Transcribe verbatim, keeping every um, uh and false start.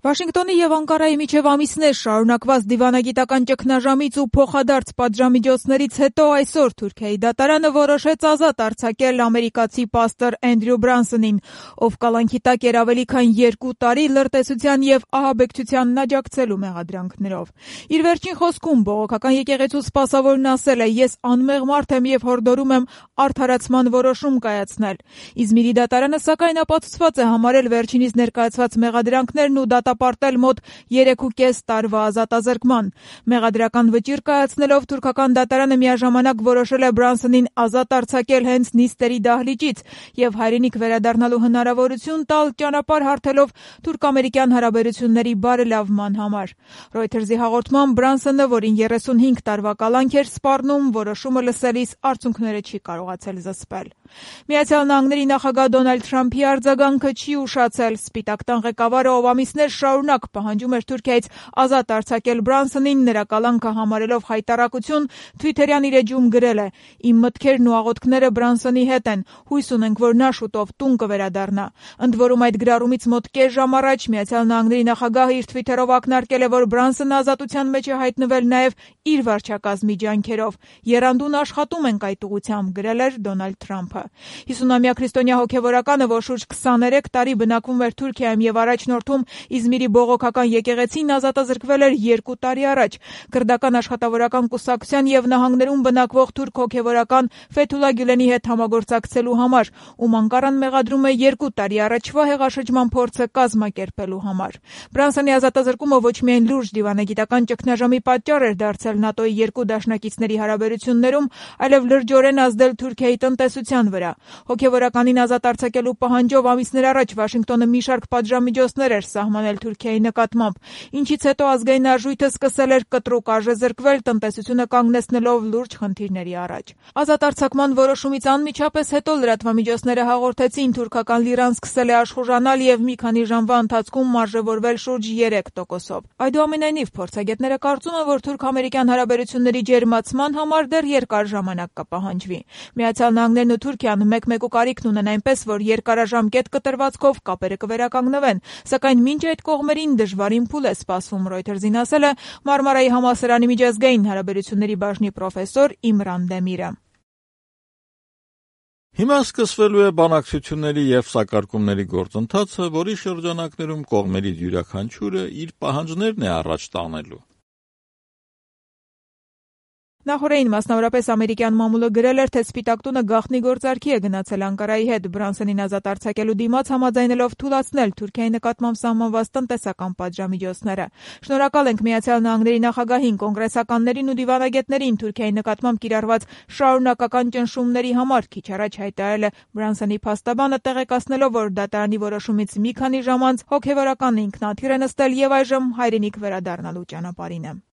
Վաշինգտոնի եւ Անկարայի միջև ամիսներ շարունակված դիվանագիտական ճգնաժամից ու փոխադարձ պատժամիջոցներից հետո այսօր Թուրքիայի դատարանը որոշեց ազատ արձակել ամերիկացի պաստոր Էնդրյու Բրանսոնին, ով կալանքի տակ էր ավելի քան երկու տարի լրտեսության եւ ահաբեկչությանն աջակցելու մեղադրանքներով։ Իր վերջին խոսքում բողոքական եկեղեցու սպասավորն ասել է. «Ես անմեղ մարդ եմ եւ հորդորում եմ արդարացման որոշում կայացնել»։ Իզմիրի դատարանը սակայն ապացուցված է համարել վերջինիս ներկայացված մեղադրանքներն ու դատապարտել մոտ երեքուկես տարվա ազատազրկման։ Մեղադրական վճիռ կայացնելով թուրքական դատարանը միաժամանակ որոշել է Բրանսոնին ազատ արձակել հենց նիստերի դահլիճից եւ հայրենիք վերադառնալու հնարավորություն տալ, ճանապարհ հարթելով թուրք-ամերիկյան հարաբերությունների բարելավման համար։ Reuters-ի հաղորդմամբ Բրանսոնը, որին երեսունհինգ տարվա կալանք էր սպառնում, որոշումը լսելիս արցունքները չի կարողացել զսպել։ Միացյալ Նահանգների նախագահ Դոնալդ Թրամփի արձագանքը չի ուշացել։ Սպիտակ տան ղեկավարը, ով ամիսներ շարունակ պահանջում էր Թուրքիայից ազատ արձակել Բրանսոնին, նրա կալանքը համարելով հայտարարություն, Թվիթերյան իր էջում գրել է. «Իմ մտքերն ու աղոթքները Բրանսոնի հետ են։ Հույս ունենք, որ նա շուտով տուն կվերադառնա»։ Ընդ որում այդ գրառումից մոտ կես ժամ առաջ Միացյալ Նահանգների նախագահը իր Թվիթերով ակնարկել է, որ Բրանսոնը ազատության մեջ է հայտնվել նաև իր վարչակազմի ջանքերով։ «Եռանդուն աշխատում ենք այդ ուղղությամբ», գրել էր Դոնալդ Թրամփը։ հիսունամյա քրիստոնյա հոգևորականը, որ շուրջ քսաներեք տարի բնակվում էր Թուրքիայում եւ առաջնորդում Իզմիրի բողոքական եկեղեցին, ազատազրկվել էր երկու տարի առաջ։ Քրդական աշխատավորական կուսակցության եւ նահանգներում բնակվող թուրք հոգևորական Ֆեթուլա Գյուլենի հետ համագործակցելու համար, ում Անկարան մեղադրում է երկու տարի առաջվա հեղաշրջման փորձը կազմակերպելու համար։ Բրանսոնի ազատազրկումը ոչ միայն լուրջ դիվանագիտական ճգնաժամի պատճառ էր դարձել ՆԱՏՕ-ի երկու դաշնակիցների հարաբերություններում, այլև լրջորեն ազդել Թուրքիայի տնտեսության վրա։ Հոգևորականին ազատ արձակելու պահանջով ամիսներ առաջ Վաշինգտոնը մի շարք պատժամիջոցներ էր սահմանել Թուրքիայի նկատմամբ, ինչից հետո ազգային արժույթը սկսել էր կտրուկ արժեզրկվել, տնտեսությունը կանգնեցնելով լուրջ խնդիրների առաջ։ Ազատ արձակման որոշումից անմիջապես հետո լրատվամիջոցները հաղորդեցին, թուրքական լիրան սկսել է աշխուժանալ եւ մի քանի ժամվա ընթացքում մարժևորվել շուրջ երեք տոկոսով։ Այդուամենայնիվ փորձագետները կարծում են, որ թուրք-ամերիկյան հարաբերությունների ջերմացման համար դեռ երկար ժամանակ կպահանջվի։ Միացյալ Նահանգներն ու Թուրքիան մեկ-մեկու կարիքն ունեն այնպես, որ երկարաժամկետ կտրվածքով կապերը կվերականգնվեն, սակայն մինչ այդ կողմերին դժվարին փուլ է սպասվում, Reuters-ին ասել է Մարմարայի համալսարանի միջազգային հարաբերությունների բաժնի պրոֆեսոր Իմրան Դեմիրը։ Հիմա սկսվելու է բանակցությունների եւ սակարկումների գործընթացը, որի շրջանակներում կողմերից յուրաքանչյուրը իր պահանջներն է առաջ տանելու։ Նախորդին մասնավորապես ամերիկյան մամուլը գրել էր, թե Սպիտակ տունը գաղտնի գործարքի է գնացել Անկարայի հետ Բրանսոնին ազատ արձակելու դիմաց, համաձայնելով թույլատրել Թուրքիայի նկատմամբ սահմանված տնտեսական պատժամիջոցները։ Շնորհակալ ենք Միացյալ Նահանգների նախագահին, կոնգրեսականներին ու դիվանագետներին Թուրքիայի նկատմամբ կիրառված շարունակական ճնշումների համար, քիչ առաջ հայտարարել է Բրանսոնի փաստաբանը, տեղեկացնելով, որ դատարանի որոշումից մի քանի ժամ անց հոգևորականն ինքնաթիռ է նստել եւ այժմ հայրենիք վերադառնալու ճանապարհին է։